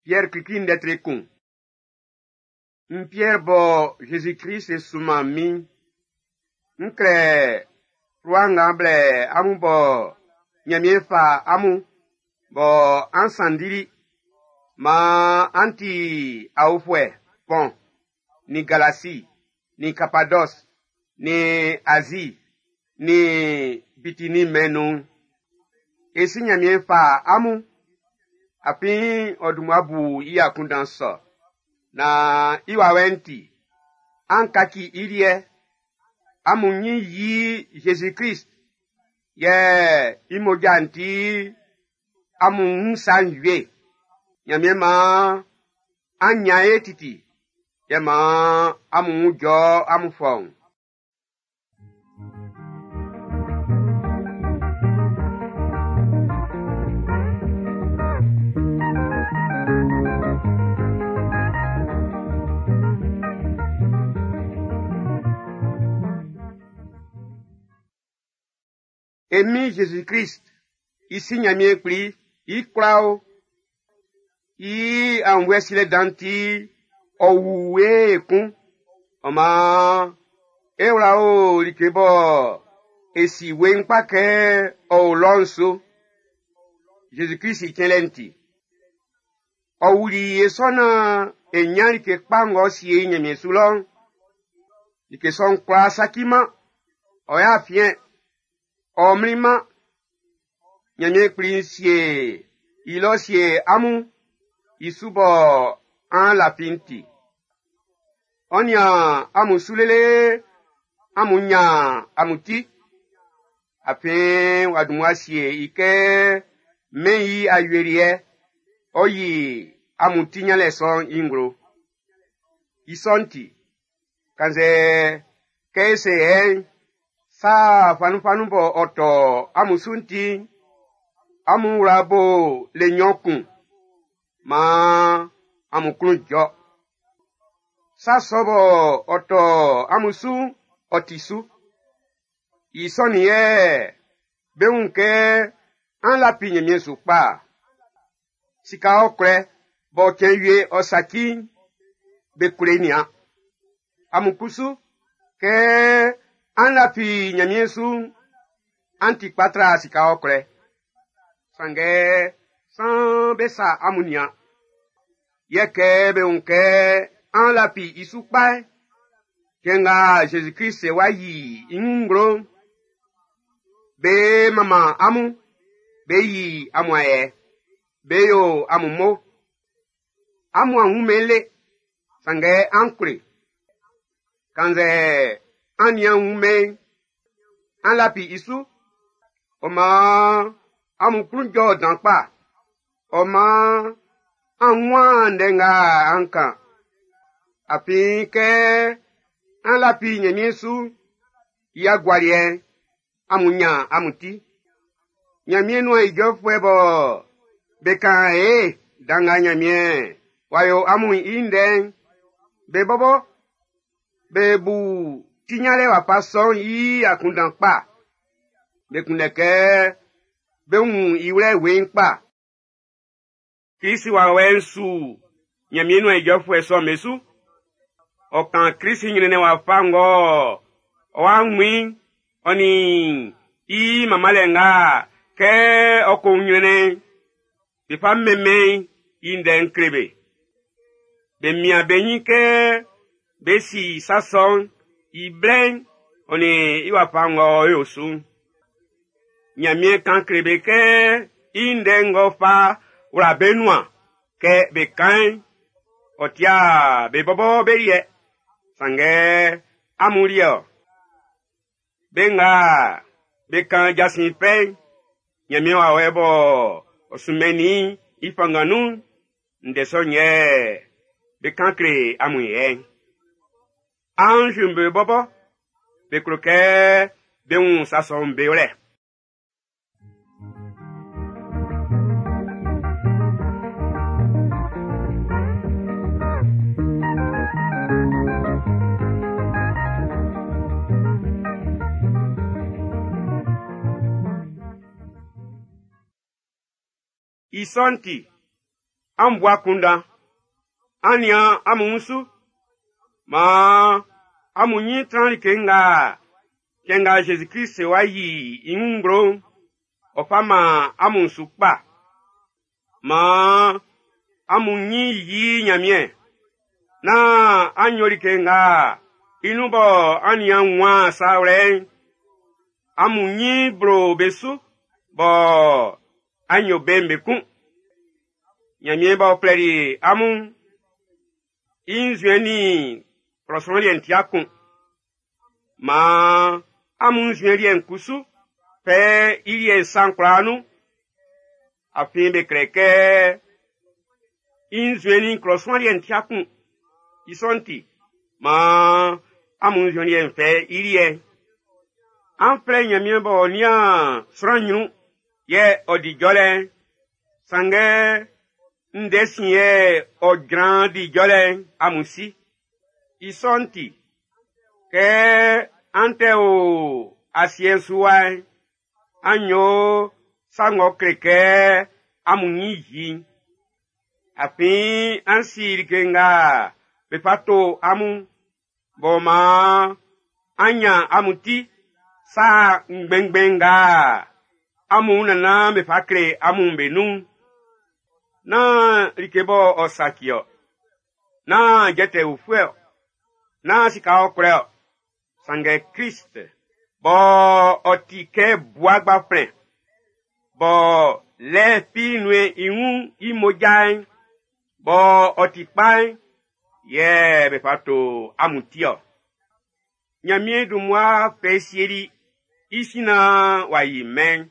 Piɛr klikli'n ndɛ tre kun. N Piɛr bɔ Jésus-Krist sunman min, n klɛ fluwa nga blɛ amun bɔ Nyanmiɛn fa amun bɔ an sanndili maan an ti aofuɛ Pɔn, nin Galasi, nin Kapadɔs, nin Azi, nin Bitini mɛn nun'n. E si Nyanmiɛn fa amun, afin ɔ dun mmua bu i akunndan sɔ, naan i wawɛ'n ti, an kaci i liɛ, amun nyin yi Jésus-Krist, yɛ i mmoja'n ti amun wun sa'n wie. Nyanmiɛn maan an nyan ye titi, yɛ maan amun wun jɔ amun fɔun. E Min Jésus-Krist, i si Nyanmiɛn Kpli, i kwla o, i aunnvuɛ silɛ dan'n ti, ɔ wu e ekun. Ɔ maan, e wla o like bɔ e si weiin kpa kɛ ɔ o lɔ'n su. Jésus-Krist i cɛnlɛ'n ti. Ɔ wuli e sɔ naan e ɲan like kpa ng'ɔ sie i Ɲanmiɛn su lɔ'n. Like sɔ'n kwlá saciman, ɔ y'a fiɛn, ɔ mlinman. Ɲanmiɛn Kpli sie i lɔ sie amun i su bɔ an lafi'n ti. Ɔ nian amun su lele amun ɲan amun ti. Afin w'a dun mmua sie i kɛ mɛn i awieliɛ, ɔ yi amun ti ɲanlɛ sɔ'n i nglo. I sɔ'n ti, kannzɛ kɛ e se yɛ'n, sa fanunfanun bɔ ɔ tɔ amun su'n ti'n, amun wla bo le nɲɔn kun, maan amun klun jɔ. Sa sɔ bɔ ɔ tɔ amun su'n, ɔ ti su. I sɔ'n yɛ be wun kɛ an lafi Ɲanmiɛn su kpa. Sika ɔkwlɛ bɔ cɛn wie ɔ saci'n, be kwle nian. Amun kusu, kɛ an lafi Ɲanmiɛn su'n, an ti kpa tra sika ɔkwlɛ. Sanngɛ, saan be sa amun nian. Yɛ kɛ be wun kɛ an lafi i su kpa'n, cɛn nga Zezi Klist wá yí i wun nglo'n, be manman amun, be yi amun ayɛ, be yo amun mo. Amun a wunmɛn le, sanngɛ an kle. Kannzɛ an nian wunmɛn an lafi i su. Ɔ maan amun klun jɔ dan kpa. Ɔ maan an wun ndɛ nga an kan. Afin kɛ an lafi Ɲanmiɛn su, i agualiɛ'n, amun ɲan amun ti. Ɲanmiɛn nuan ijɔfuɛ bɔ be kan e dan nga Ɲanmiɛn w'a yo amun i ndɛ'n, be bɔbɔ be bu ti ɲanlɛ wafa sɔ'n i akunndan kpa. Be kunndɛ kɛ bé wún i wlɛ weiin kpa. Krist wawɛ'n su Ɲanmiɛn nuan ijɔfuɛ sɔ'm be su. Ɔ kan Krist ɲrɛnnɛn wafa ng'ɔ ɔ wá wún i'n, ɔ nin i manmanlɛ nga kɛ ɔ ko wun ɲrɛnnɛn'n, be fa mɛnmɛn i ndɛ'n kle be. Be mian be ɲin kɛ be si sa sɔ'n i blɛ'n ɔ nin i wafa ng'ɔ yo su'n. Ɲanmiɛn kan kle be kɛ i ndɛ ng'ɔ fa wla be nuan kɛ be kan'n, ɔ tia be bɔbɔ be liɛ, sanngɛ amun liɛ ɔ. Be nga be kan jasin fɛ'n, Ɲanmiɛn wawɛ bɔ ɔ sunmɛnnin i fanngan nun'n, ndɛ sɔ'n yɛ be kan kle amun yɛ'n. Anz'm be bɔbɔ be klo kɛ be wun sa sɔ'm be wlɛ. I sɔ'n ti, An bu akunndan, an nian amun wun su. Maan amun ɲin tran like nga cɛn nga Zezi Klist wá yí i wun nglo'n, ɔ fa man amun su kpa. Maan amun ɲin yi Ɲanmiɛn. Nán an yo like nga i nun bɔ an nian wun sa wlɛ'n, amun ɲin blo be su bɔ an yo be'n be kun. Ɲanmiɛn b'ɔ flɛli amun'n, i nzuɛn nin klɔ sran liɛ'n ti'a kun. Maan amun nzuɛn liɛ'n kusu fɛ i liɛ'n sa'n kwlaa nun. Afin be klɛ kɛ i nzuɛn nin klɔ sran liɛ'n ti'a kun. I sɔ'n ti, maan amun nzuɛn liɛ'n fɛ i liɛ'n. An flɛ Ɲanmiɛn b'ɔ nian sran ɲrun yɛ ɔ di jɔlɛ'n, sanngɛ ndɛ sin yɛ ɔ jran di jɔlɛ'n amun si. I sɔ'n ti, kɛ an tɛ o asiɛ'n su wa'n, an yo sa ng'ɔ kle kɛ amun ɲin yi i'n. Afin an si like nga be fa to amun, b'ɔ maan an nyan amun ti sa ngbɛnngbɛn nga amun nannan be fa kle amun be nun'n. Nán like bɔ ɔ saci ɔ, nán jɛtɛ ufue ɔ, nán sika ɔkwlɛ ɔ, sanngɛ Klist bɔ ɔ ti kɛ bua gbaflɛn, bɔ lɛ fi nue i wun i mmoja'n, bɔ ɔ ti kpa'n, yɛ be fa to amun ti ɔ. Ɲanmiɛn dun mmua fɛ sieli i sin naan w'a yi mɛn'n.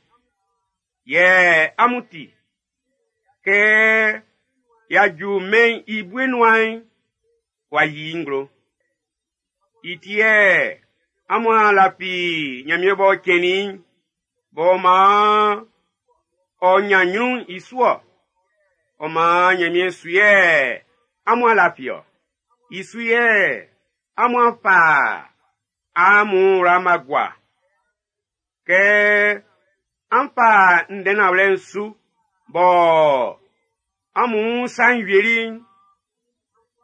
Yɛ amun ti, kɛ y'a ju mɛn'n i bue nuan'n, w'a yi i nglo. I ti yɛ amun a lafi Ɲanmiɛn b'ɔ cɛnnin i'n, b'ɔ maan ɔ ɲan ɲrun'n i su ɔ. Ɔ maan Ɲanmiɛn su yɛ amun a lafi ɔ. I su yɛ amun a fa amun wla ma gua. Kɛ an fa ndɛ nanwlɛ'n su bɔ amun sa'n wieli'n,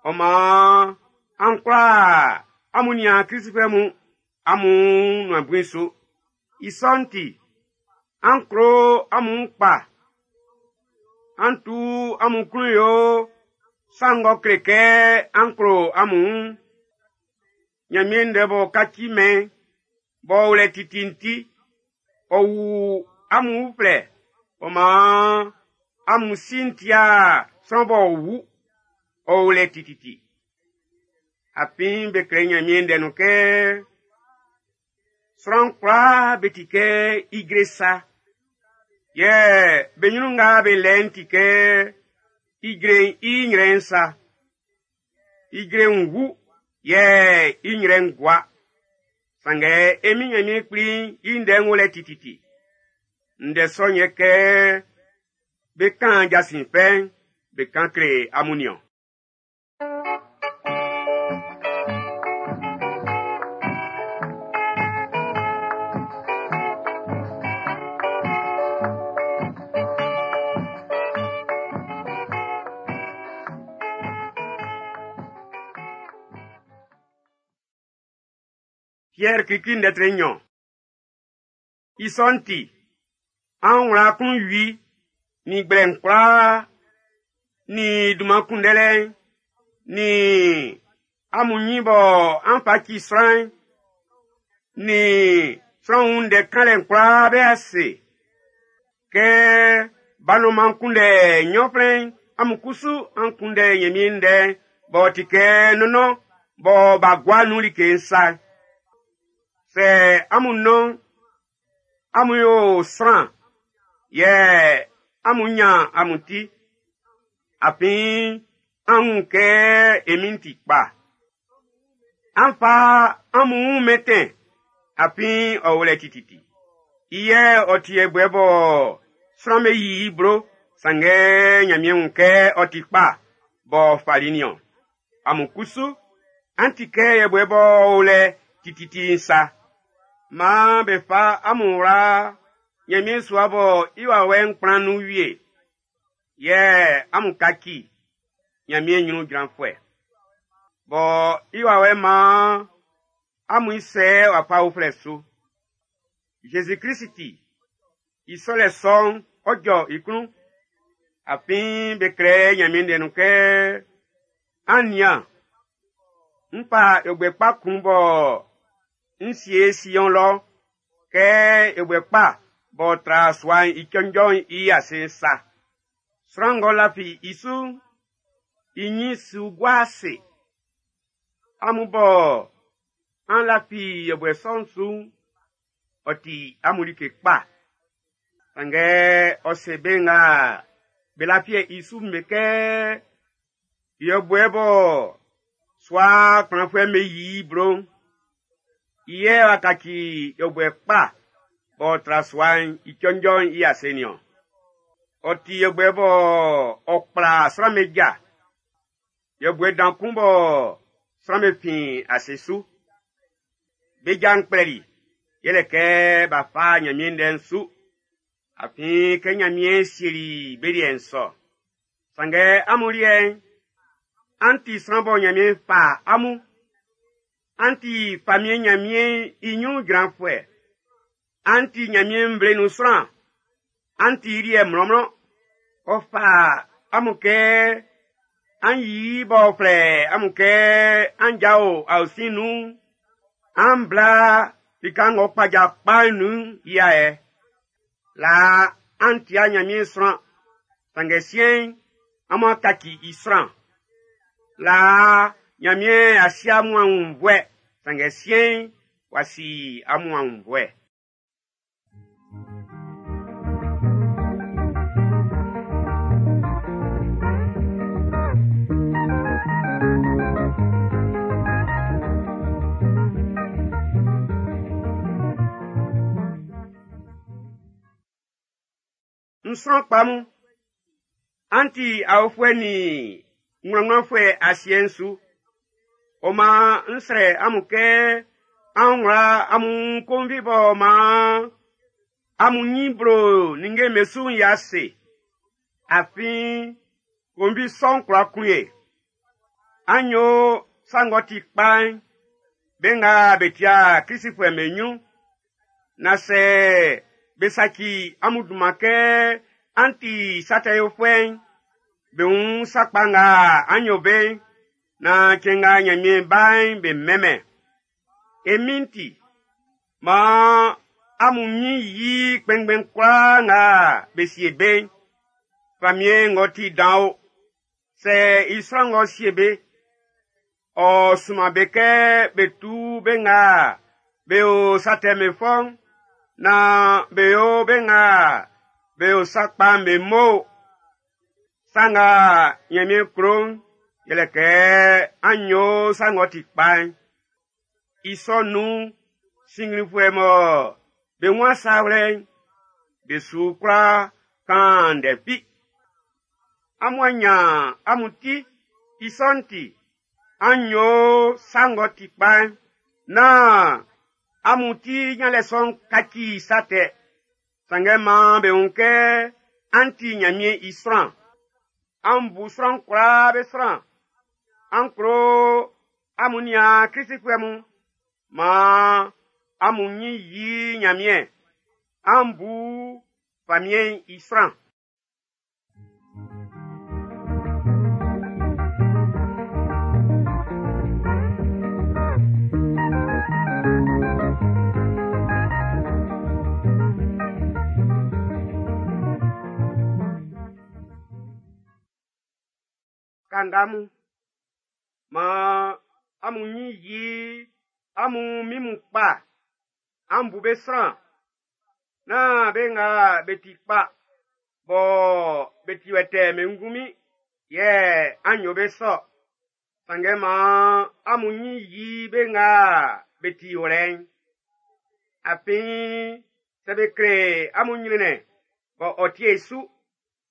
ɔ maan an kwlaa amun niaan Klistfuɛ mun amun nuan bui su. I sɔ'n ti, an klo amun kpa. An tu amun klun yo sa ng'ɔ kle kɛ an klo amun wun'n. Ɲanmiɛn ndɛ b'ɔ kaci mɛn'n, b'ɔ o lɛ titi'n ti, ɔ wu amun uflɛ, ɔ maan amun si'n tia sran b'ɔ wu, ɔ o lɛ tititi. Afin be klɛ Ɲanmiɛn ndɛ nun kɛ, sran kwlaa be ti kɛ ijre sa, yɛ be ɲrun nga be lɛ'n ti kɛ ijre'n i nyrɛ'n sa. Ijre'n wu, yɛ i nyrɛ'n gua. Sanngɛ e Min Ɲanmiɛn Kpli'n i ndɛ'n wo lɛ tititi. Ndɛ sɔ'n yɛ kɛ be kan jasin fɛ'n, be kan kle amun nin-ɔn. Piɛr klikli ndɛ tre nɲɔn. I sɔ'n ti, an wla klun wi nin gblɛ'n kwlaa, nin dunman kunndɛlɛ'n, nin amun ɲin bɔ an fa ci sran'n, nin sran wun ndɛ kanlɛ'n kwlaa be ase. Kɛ ba nɔnman'n kunndɛ ɲɔnflɛn'n, amun kusu an kunndɛ Ɲanmiɛn ndɛ'n b'ɔ ti kɛ nɔnnɔn bɔ b'a gua nun like'n sa. Sɛ amun nɔn'n, amun yo sran, yɛ amun ɲan amun ti. Afin an wun kɛ e Min'n ti kpa. An fa amun wun mɛntɛn, afin ɔ o lɛ tititi. I yɛ ɔ ti yɛbuɛ bɔ sran'm be yi i blo, sanngɛ Ɲanmiɛn wun kɛ ɔ ti kpa b'ɔ fali nin-ɔn. Amun kusu, an ti kɛ yɛbuɛ b'ɔ o lɛ tititi'n sa. Maan be fa amun wla Ɲanmiɛn sua bɔ i wawɛ'n kplan nun wie. Yɛ amun kaci Ɲanmiɛn ɲrun jranfuɛ. Bɔ i wawɛ maan amun sɛ wafa uflɛ su. Zezi Klisi ti, i sɔlɛ sɔ'n ɔ jɔ i klun. Afin be klɛ Ɲanmiɛn ndɛ nun kɛ, an nian, n fa yɔbuɛ kpa kun bɔ n sie Sion lɔ kɛ yɔbuɛ kpa b'ɔ tra sua'n i cɔnjɔ'n i ase'n sa. Sran ng'ɔ lafi i su'n, i ɲin su gua ase. Amun bɔ an lafi yɔbuɛ sɔ'n su'n, ɔ ti amun like kpa. Sanngɛ ɔ se be nga be lafi i su'n be kɛ, yɔbuɛ bɔ sua kplanfuɛ'm be yi i blo'n, i yɛ w'a kaci yɔbuɛ kpa b'ɔ tra sua'n i cɔnjɔ'n i ase nin-ɔn. Ɔ ti yɔbuɛ bɔ ɔ kpla sran'm be ja. Yɔbuɛ dan kun bɔ sran'm be fin ase su. Be ja'n kplɛli, yɛlɛ kɛ b'a fa Ɲanmiɛn ndɛ'n su. Afin kɛ Ɲanmiɛn sieli be liɛ'n sɔ. Sanngɛ amun liɛ'n, an ti sran bɔ Ɲanmiɛn fa amun. An ti famiɛn Ɲanmiɛn i ɲrun jranfuɛ. An ti Ɲanmiɛn nvle nun sran. An ti i liɛ mlɔnmlɔn. Ɔ fa amun kɛ an yi b'ɔ flɛ amun kɛ an jao aosin nun, an bla lika ng'ɔ kpaja kpa'n nun i ayɛ. Laa an tia Ɲanmiɛn sran, sanngɛ siɛn'n, amun kaci i sran. Laa Ɲanmiɛn a si amun aunnvuɛ, sanngɛ siɛn'n, w'a si amun aunnvuɛ. N sran kpa mun, an ti aofuɛ nin wlanwlanfuɛ asiɛ'n su. Ɔ maan n srɛ amun kɛ an wla amun konvi b'ɔ maan amun ɲin blo ninnge'm be su'n i ase. Afin konvi sɔ'n kwla kun e. An yo sa ng'ɔ ti kpa'n be nga be tia Klisifuɛ'm be ɲrun. Na sɛ be saci amun dunman kɛ an ti sa tɛ yofuɛ'n, be wun sa kpa nga an yo be'n, na cɛn nga Ɲanmiɛn ba'n be mɛnmɛn. E Min'n ti, maan amun ɲin yi kpɛnngbɛn kwlaa nga be sie be'n. Famiɛn ng'ɔ ti dan o, sɛ i sran ng'ɔ sie be, ɔ sunman be kɛ be tu be nga be o sa tɛ'm be fɔ'n, naan be yo be nga be o sa kpa'n be mo. Sa nga Ɲanmiɛn klo'n, yɛlɛ kɛ an yo sa ng'ɔ ti kpa'n. I sɔ nun'n, sinnglinfuɛ mɔ be wun sa wlɛ'n, be su kwla kan ndɛ fi. Amun a ɲan amun ti, i sɔ'n ti, an yo sa ng'ɔ ti kpa'n, naan amun ti ɲanlɛ sɔ'n kaci sa tɛ. Sanngɛ maan be wun kɛ an ti Ɲanmiɛn i sran. An bu sran kwlaa be sran. An klo amun niaan Klisifuɛ mun. Maan amun ɲin yi Ɲanmiɛn. An bu famiɛn'n i sran. Kanga mun, maan amun ɲin yi amun min mun kpa, an bu be sran. Nán be nga be ti kpa, bɔ be ti wɛtɛɛ'n be ngunmin yɛ an yo be sɔ. Sanngɛ maan amun ɲin yi be nga be ti wlɛ'n. Afin sɛ be kle amun ɲrɛnnɛn bɔ ɔ tie su,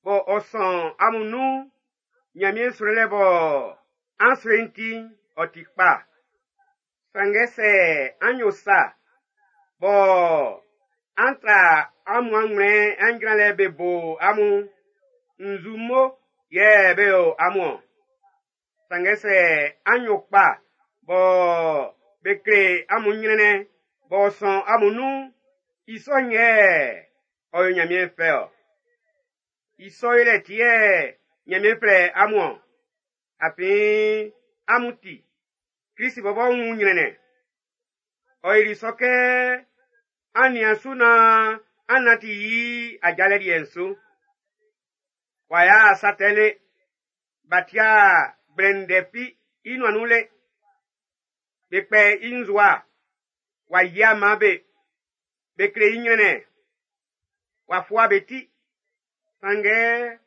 bɔ ɔ sɔn amun nun'n, Ɲanmiɛn srɛlɛ bɔ an srɛ'n ti'n, ɔ ti kpa. Sanngɛ sɛ an yo sa bɔ an tra amun anwlɛn an jranlɛ be bo amun, Nzu mo yɛ be yo amun-ɔn? Sanngɛ sɛ an yo kpa bɔ be kle amun nyrɛnnɛn b'ɔ sɔn amun nun'n, i sɔ'n yɛ ɔ yo Nyanmiɛn fɛ-ɔ. I sɔ yolɛ ti yɛ Nyanmiɛn flɛ amun-ɔn. Afin amun ti, Krist bɔbɔ wun nyrɛnnɛn. Ɔ yili sɔ kɛ an nian su naan an nanti i ajalɛ liɛ'n su. W'a yo'a sa tɛ le, b'a ti'a gblɛ ndɛ fi i nuan nun le. Be kpɛ i nzowa, w'a yiaman be. Be kle i nyrɛnnɛn, w'a fua be ti. Sanngɛ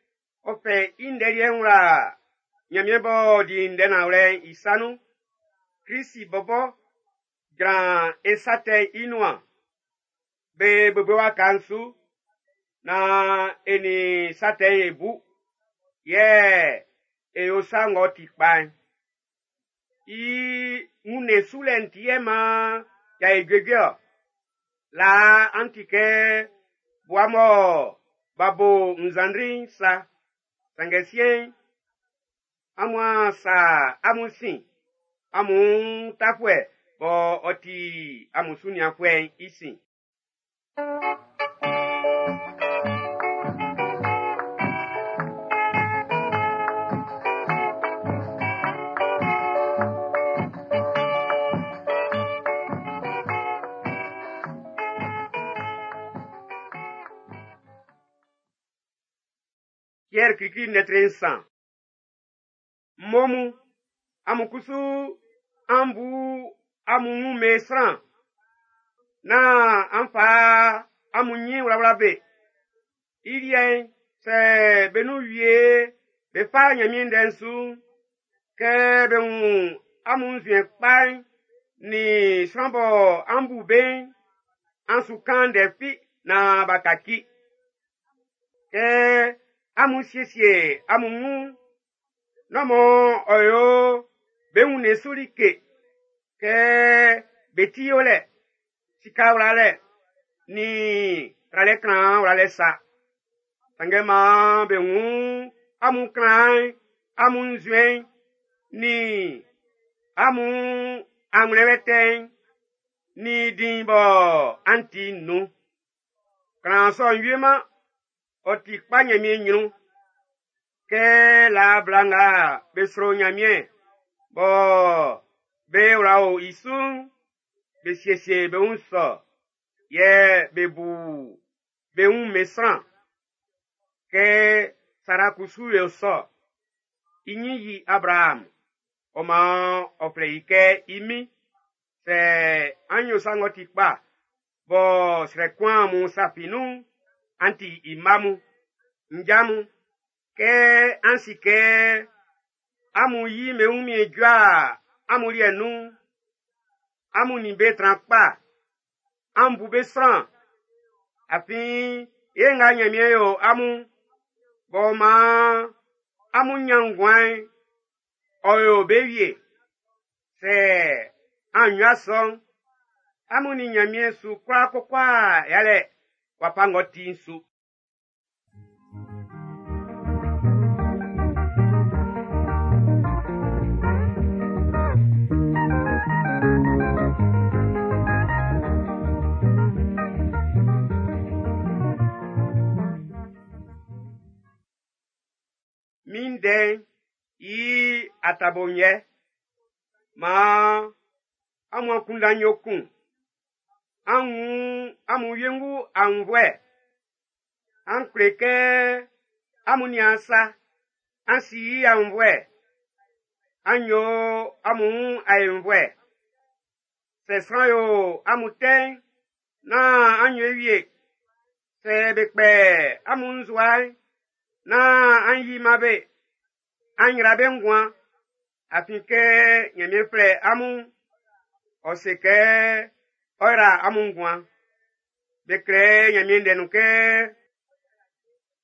ɔ fɛ i ndɛ liɛ'n wla Nyanmiɛn b'ɔ di ndɛ nanwlɛ'n i sa nun. Krist bɔbɔ jran e sa tɛ'n i nuan. Be bebe waka'n su naan e nin sa tɛ'n e bu, yɛ e yo sa ng'ɔ ti kpa'n. I wunnɛn sulɛ'n ti yɛ maan y'a yo juejue-ɔ. Laa an ti kɛ bua mɔ b'a bo nzandri'n sa. Sanngɛ siɛn'n, amun a sa amun sin amun tafuɛ bɔ ɔ ti amun sunianfuɛ'n i sin. Piɛr klikli lɛtri nsan. Mmo mun, amun kusu an bu amun wun be sran, nán an fa amun nyin wlawla be. I liɛ'n, sɛ be nun wie be fa Nyanmiɛn ndɛ'n su'n, kɛ be wun amun nzuɛn kpa'n nin sran bɔ an bu be'n, an su kan ndɛ fi naan b'a kaci. Kɛ amun siesie amun wun'n, nán mɔ ɔ yo be wunnɛn su like kɛ be ti yolɛ, sika wlalɛ, nin tralɛ klanhan wlalɛ sa. Sanngɛ maan be wun amun klanhan'n, amun nzuɛn'n, nin amun anwlɛn wɛtɛɛ'n, nin diin bɔ an ti'n nun. Klanhan sɔ'n wieman, ɔ ti kpa Nyanmiɛn ɲrun. Kɛ laa bla nga be sro Nyanmiɛn bɔ be wla o i su'n, be siesie be wun sɔ, yɛ be bu be wun be sran. Kɛ Sara kusu yo sɔ, i ɲin yi Abraham, ɔ maan ɔ flɛ i kɛ i min. Sɛ an yo sa ng'ɔ ti kpa, bɔ srɛ kun amun sa fi nun'n, an ti i mma mun. Nja mun, kɛ an si kɛ amun yi be wunmiɛn jua amun liɛ nun'n, amun nin be tran kpa, an bu be sran. Afin ye nga Nyanmiɛn yo amun, b'ɔ maan amun nyan nguan'n, ɔ yo be wie. Sɛ an yo sɔ'n, amun nin Nyanmiɛn su kwla koko yalɛ wafa ng'ɔ ti'n su. Min ndɛ'n i atabo'n yɛ. Maan amun akunndan'n yo kun. An wun amun wiengu aunnvuɛ. An kle kɛ amun nian sa. An si i aunnvuɛ. An yo amun wun aenvuɛ. Sɛ sran yo amun tɛ'n, nán an yo i wie. Sɛ be kpɛ amun nzowa'n, nán an yi man be. An yra be nguan. Afin kɛ Nyanmiɛn flɛ amun'n, ɔ se kɛ ɔ yra amun nguan. Be klɛ Nyanmiɛn ndɛ nun kɛ,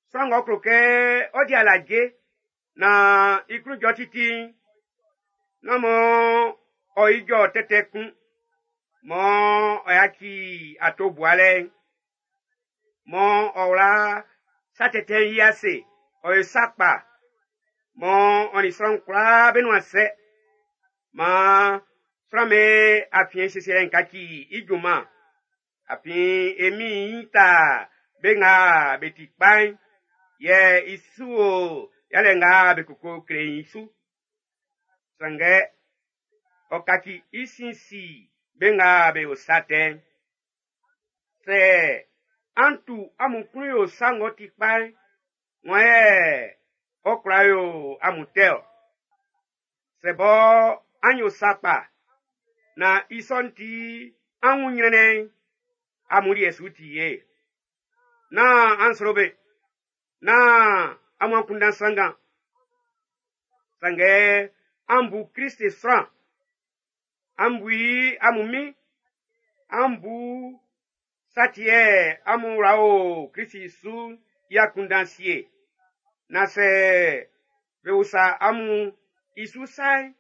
sran ng'ɔ klo kɛ ɔ di alaje naan i klun jɔ titi'n, nán mɔ ɔ ijɔ tɛtɛ kun, mɔ ɔ yaci ato bualɛ'n, mɔ ɔ wla sa tɛtɛ'n i ase, ɔ yo sa kpa, mɔ ɔ nin sran kwlaa be nuan sɛ. Maan sran'm be afiɛn siesielɛ'n kaci i junman. Afin e Min'n ta be nga be ti kpa'n, yɛ i su o yalɛ nga be koko kle i'n su. Sanngɛ ɔ kaci i sin si be nga be yo sa tɛ'n. Sɛ an tu amun klun yo sa ng'ɔ ti kpa'n, wan yɛ ɔ kwla yo amun tɛ-ɔ? Sɛ bɔ an yo sa kpa, na i sɔ'n ti an wun ɲrɛnnɛn'n, amun liɛ su ti ye. Nán an sro be, nán amun akunndan sanngan. Sanngɛ an bu Krist sran, an bu i amun min, an bu sa ti yɛ amun wla o Krist su i akunndan sie. Na sɛ be usa amun i su sa'n,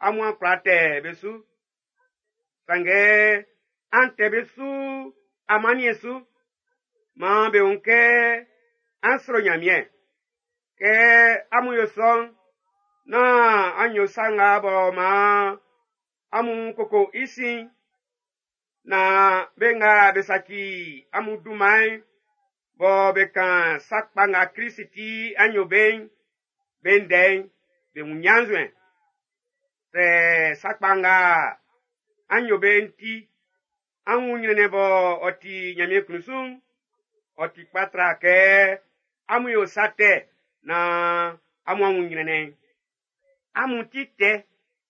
amun a kwla tɛ be su. Sanngɛ an tɛ be su amanniɛn su. Maan be wun kɛ an sro Ɲanmiɛn. Kɛ amun yo sɔ'n, nán an yo sa nga bɔ maan amun koko i sin, na be nga be saci amun dunman'n, bɔ be kan sa kpa nga Krist ti an yo be'n, be ndɛ'n, be wun ɲannzuɛn. Sɛ sa kpa nga an yo be'n ti, an wun ɲrɛnnɛn bɔ ɔ ti Ɲanmiɛn klun su'n, ɔ ti kpa tra kɛ amun yo sa tɛ naan amun a wun ɲrɛnnɛn'n. Amun ti tɛ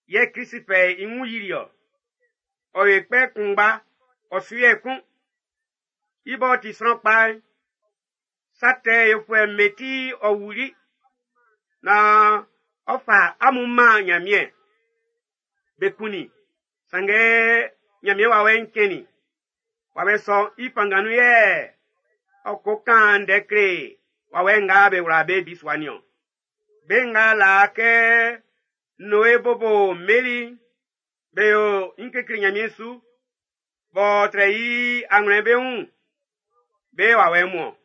yɛ Krist fɛ i wun yili-ɔ. Ɔ yo kpɛ kunngba, ɔ su yɛ kun. I b'ɔ ti sran kpa'n, sa tɛ yofuɛ'm be ti ɔ wuli, naan ɔ fa amun man Ɲanmiɛn. Be kunnin, sanngɛ Ɲanmiɛn wawɛ'n cɛnnin. Wawɛ sɔ'n i fanngan nun yɛ ɔ ko kan ndɛ kle wawɛ nga be wla be bisua nin-ɔn. Be nga laa kɛ Noe bobo mmeli'n, be yo ɲin kekle Ɲanmiɛn su, b'ɔ trɛ i anwlɛn be wun, be wawɛ mun-ɔn.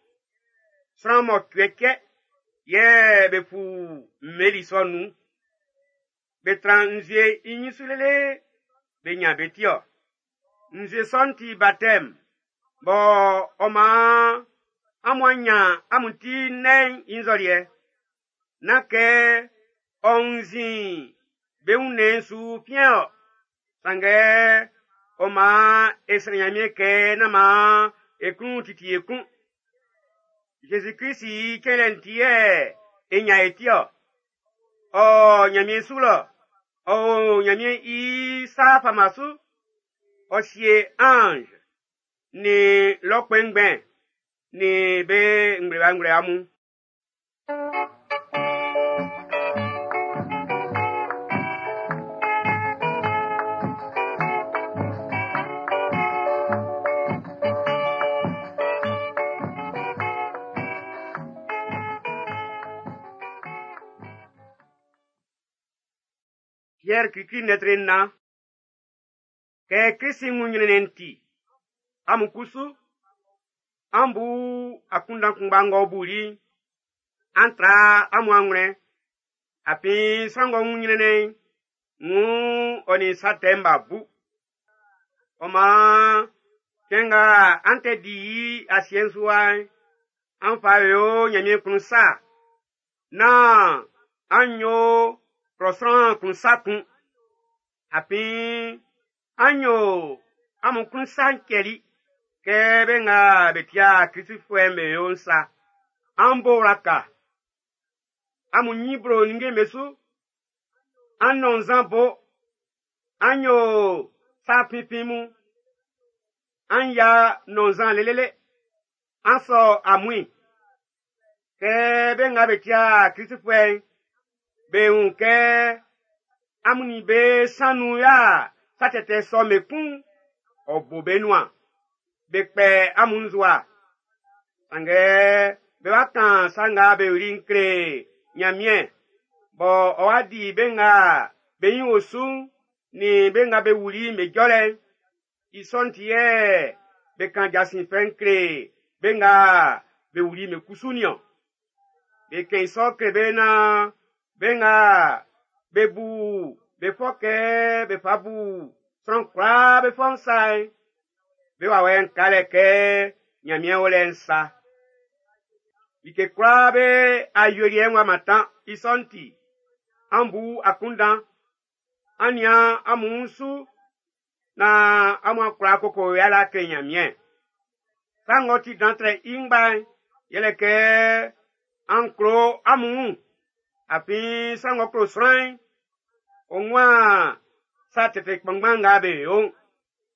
Sran mɔcuɛ cɛ yɛ be fu mmeli sɔ'n nun. Be tran nzue i ɲin su lele be ɲan be ti-ɔ. Nzue sɔ'n ti batɛm, bɔ ɔ maan amun a ɲan amun ti nnɛn'n i nzɔliɛ. Nán kɛ ɔ wunnzin be wunnɛn'n su fiɛn-ɔ, sanngɛ ɔ maan e srɛ Ɲanmiɛn kɛ nán maan e klun titi e kun. Zezi Klist i cɛnlɛ'n ti yɛ e ɲan e ti-ɔ. Ɔ o Ɲanmiɛn su lɔ, ɔ o Ɲanmiɛn i sa fama su. Ɔ sie anz nin lɔ kpɛnngbɛn nin be nglɛmunglɛmun mun. Piɛr klikli lɛtri 4. Kɛ Krist wun ɲrɛnnɛn'n ti, amun kusu, an bu akunndan kunngba ng'ɔ buli'n, an tra amun anwlɛn. Afin sran ng'ɔ wun ɲrɛnnɛn'n, wuun ɔ nin sa tɛ'n b'a bu. Ɔ maan, cɛn nga an tɛ di i asiɛ'n su wa'n, an fa yo Ɲanmiɛn klun sa, nán an yo klɔ sran klun sa kun. Afin an yo amun klun sa'n cɛli kɛ be nga be tia Klistfuɛ'n be yo'n sa. An bo wlaka, amun ɲin blo ninnge'm be su, an nɔn nzan bo, an yo sa finfin mun, an ya nɔn nzan lelele, an sɔ amuin. Kɛ be nga be tia Klistfuɛ'n be wun kɛ amun nin be san nun y'a sa tɛtɛ sɔ'm be kun'n, ɔ bo be nuan. Be kpɛ amun nzowa. Sanngɛ be wa kan sa nga be yoli'n kle Ɲanmiɛn, bɔ ɔ wa di be nga be ɲin o su'n nin be nga be wuli'n be jɔlɛ'n. I sɔ'n ti yɛ be kan jasin fɛ'n kle be nga be wuli'n be kusu niɔn. Be kɛn i sɔ kle be naan be nga be bu be fɔ kɛ be fa bu sran kwlaa be fɔ'n sa'n, be wawɛ'n ka lɛ kɛ Ɲanmiɛn o lɛ'n sa. Like kwlaa be awieliɛ'n w'a mantan i sɔ'n ti, an bu akunndan, an nian amun wun su naan amun a kwla koko yalɛ kle Ɲanmiɛn. Sa ng'ɔ ti dan trɛ i ngba'n, yɛlɛ kɛ an klo amun wun. Afin sran ng'ɔ klo sran'n, ɔ wun sa tɛtɛ kpanngban nga be yo'n.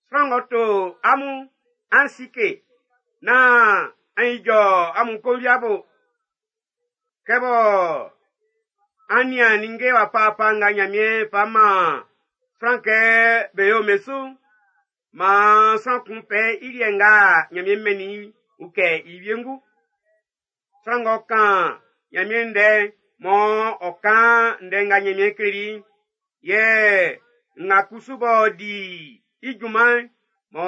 Sran ng'ɔ to amun, an sike, nán an ijɔ amun konviabo. Kɛ bɔ an nian ninnge wafawafa nga Ɲanmiɛn fa man sran kɛ be yo be su'n, maan sran kun fɛ i liɛ nga Ɲanmiɛn mɛnnin i'n ukɛ i wiengu. Sran ng'ɔ kan Ɲanmiɛn ndɛ'n mɔ ɔ kan ndɛ nga Ɲanmiɛn kleli i'n, yɛ nga kusu b'ɔ di i junman'n, mɔ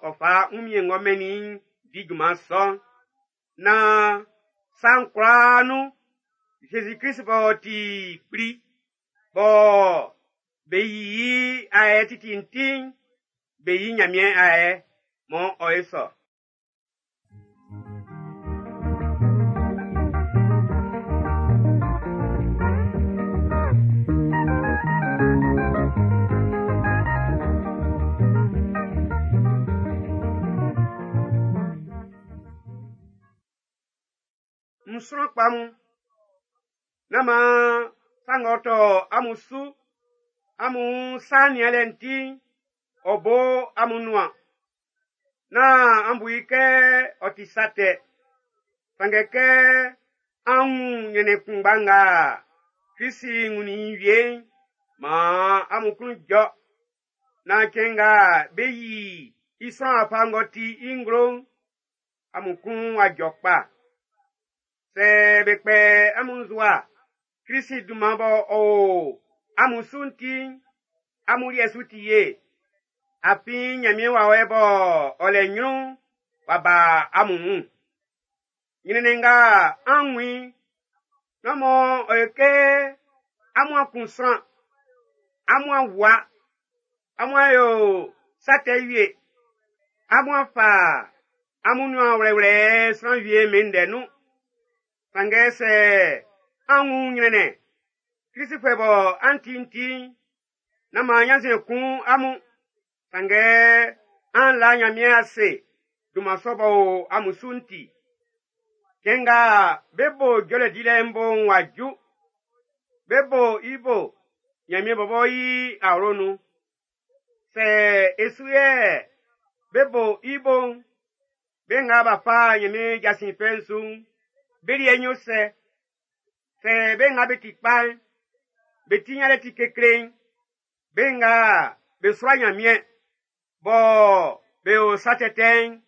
ɔ fa wunmiɛn ng'ɔ mɛnnin i'n di junman sɔ'n. Naan sa'n kwlaa nun, Zezi Klist b'ɔ ti kpli, bɔ be yi i ayɛ titi'n ti'n, be yi Ɲanmiɛn ayɛ mɔ ɔ ye sɔ. N sran kpa mun, nán maan sa ng'ɔ tɔ amun su, amun sa nianlɛ'n ti'n, ɔ bo amun nuan. Nán an bu i kɛ ɔ ti sa tɛ. Sanngɛ kɛ an wun ɲrɛnnɛn kunngba nga Klisi wunnin i wie'n, maan amun klun jɔ. Naan cɛn nga be yi i sran wafa ng'ɔ ti i nglo'n, amun klun w'a jɔ kpa. Sɛ be kpɛ amun nzowa Klisi dunman b'ɔ o amun su'n ti'n, amun liɛ su ti ye. Afin Ɲanmiɛn wawɛ b'ɔ ɔ lɛ ɲrun'n w'a ba amun wun. Ɲrɛnnɛn nga an wun i'n, nán mɔ ɔ yo kɛ amun a kun sran, amun a wua, amun a yo sa tɛ wie, amun a fa amun nuan wlɛwlɛ sran wie be ndɛ nun. Sanngɛ sɛ an wun ɲrɛnnɛn, Klisifuɛ bɔ an ti'n ti'n, nán maan ɲannzuɛn kun amun. Sanngɛ an la Ɲanmiɛn ase dunman sɔ b'ɔ o amun su'n ti. Cɛn nga be bo jɔlɛ dilɛ'n bo'n w'a ju. Be bo i bo Ɲanmiɛn bɔbɔ i awlo nun. Sɛ e su yɛ be bo i bo'n, be nga b'a fa Ɲanmiɛn jasin fɛ'n su'n, be liɛ'n yó sɛ? Sɛ be nga be ti kpa'n, be ti ɲanlɛ ti kekle'n, be nga be sua Ɲanmiɛn, bɔ be o sa tɛtɛ'n,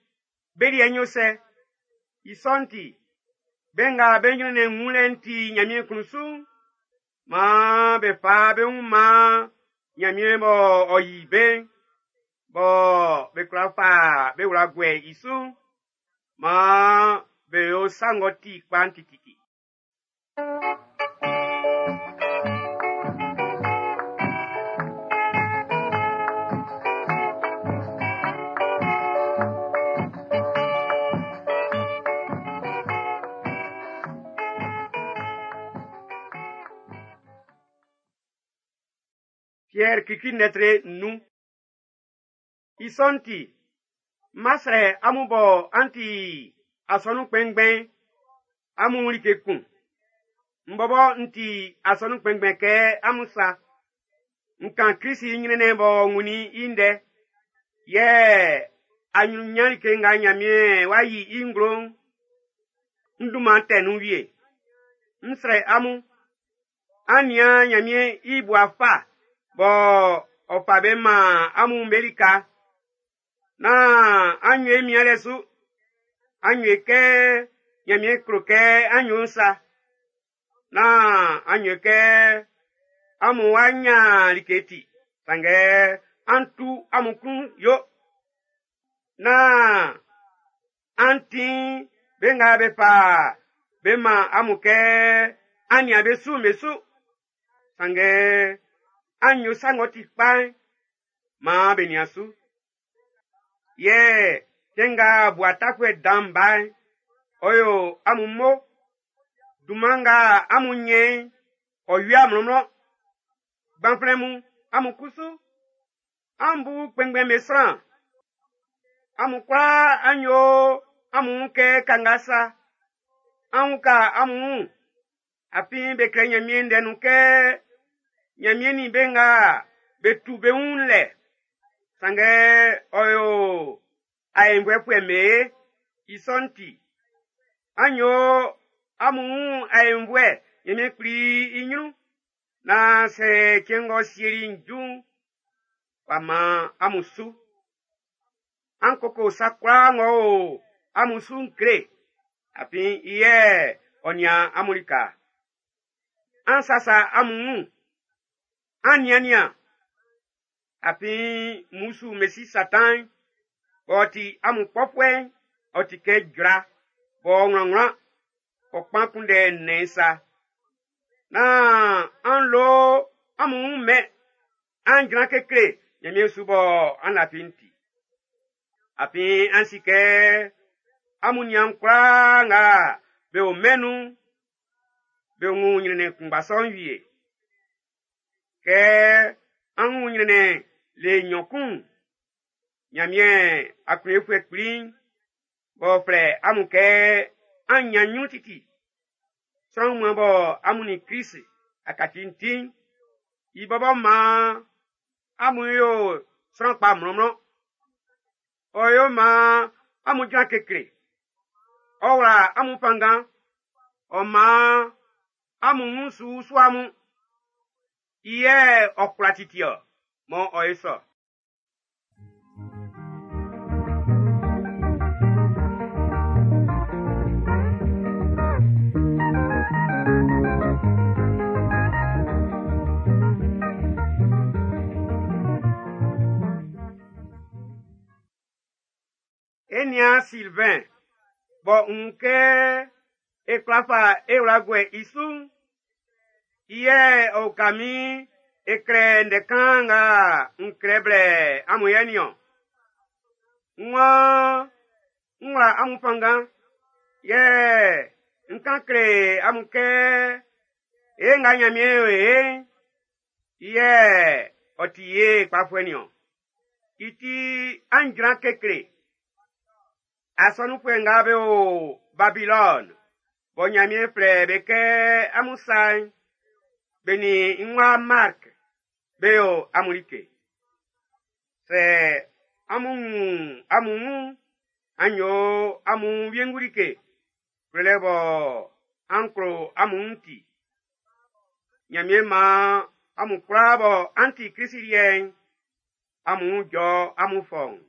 be liɛ'n yó sɛ? I sɔ'n ti, be nga be ɲrɛnnɛn wunlɛ'n ti Ɲanmiɛn klun su'n, maan be fa be wun man Ɲanmiɛn b'ɔ ɔ yi be'n, bɔ be kwla fa be wla guɛ i su'n, maan be yo sa ng'ɔ ti kpa'n tititi. Pierre klikli lɛtri nun. I sɔ'n ti, n ma srɛ amun bɔ an ti asɔnun kpɛnngbɛn'n, amun like kun. N bɔbɔ n ti asɔnun kpɛnngbɛn kɛ amun sa. N kan Klisi i ɲrɛnnɛn b'ɔ wunnin i ndɛ. Yɛ aɲrunɲan like nga Ɲanmiɛn w'a yi i nglo'n, n dunman tɛ nun wie. N srɛ amun, an nian Ɲanmiɛn i bua fa bɔ ɔ fa be man amun be lika. Nán an nyo mianlɛ su, an nyo kɛ Ɲanmiɛn klo kɛ an nyo'n sa. Nán an nyo kɛ amun wá ɲan like ti, sanngɛ an tu amun klun yo. Nán an tin be nga be fa be man amun kɛ an nian be su'n be su. Sanngɛ an yo sa ng'ɔ ti kpa'n, maan be nian su. Yɛ cɛn nga bua tafuɛ dan'n ba'n, ɔ yo amun mo. Dunman nga amun ɲɛ́n ɔ wia mlɔnmlɔn. Gbanflɛn mun, amun kusu, an bu kpɛnngbɛn be sran. Amun kwlaa an yo amun wun kɛ kanga sa. An uka amun wun. Afin be klɛ Ɲanmiɛn ndɛ nun kɛ Ɲanmiɛn nin be nga be tu be wun lɛ. Sanngɛ ɔ yo aenvuɛfuɛ'm be ye. I sɔ'n ti, an yo amun wun aenvuɛ Ɲanmiɛn Kpli i ɲrun naan sɛ cɛn ng'ɔ sieli'n ju'n, w'a man amun su. An koko sa kwlaa ng'ɔ o amun su'n kle, afin i yɛ ɔ nian amun lika. An sasa amun wun, an nian-nian, afin mmusu mesi Satan'n, b'ɔ ti amun kpɔfuɛ'n, ɔ ti kɛ jra b'ɔ wlanwlan, ɔ kpan kunndɛ nnɛn sa. Nán an lo amun wun mɛn, an jran kekle Ɲanmiɛn su bɔ an lafi'n ti. Afin an si kɛ amun niaan kwlaa nga be o mɛn nun'n, be wun ɲrɛnnɛn kunngba sɔ'n wie. Kɛ an wun ɲrɛnnɛn le nɲɔn kun'n, Ɲanmiɛn aklunyefuɛ kpli'n, b'ɔ flɛ amun kɛ an ɲan ɲrun titi, sran wunmuan bɔ amun nin Klist a kaci'n ti'n, i bɔbɔ maan amun yo sran kpa mlɔnmlɔn. Ɔ yo maan amun jran kekle. Ɔ wla amun fanngan. Ɔ maan amun wun su usu amun. I yɛ ɔ kwla titi ɔ, mɔ ɔ ye sɔ. E niaan Silvɛn, bɔ n wun kɛ e kwla fa e wla guɛ i su'n, i yɛ ɔ uka min e klɛ ndɛ kan nga n klɛ blɛ amun yɛ nin-ɔn. N waan n wla amun fanngan, yɛ n kan kle amun kɛ e nga Ɲanmiɛn yo e'n, i yɛ ɔ ti ye kpafuɛ nin-ɔn. I ti an jran kekle. Asɔnunfuɛ nga be o Babilɔni, bɔ Ɲanmiɛn flɛ be kɛ amun sa'n, be nin n wa Mark be yo amun like. Sɛ amun wun amun wun'n, an yo amun wiengu like, klolɛ bɔ an klo amun wun'n ti. Ɲanmiɛn maan amun kwlaa bɔ an ti Klisi liɛ'n, amun wun jɔ amun fɔuun.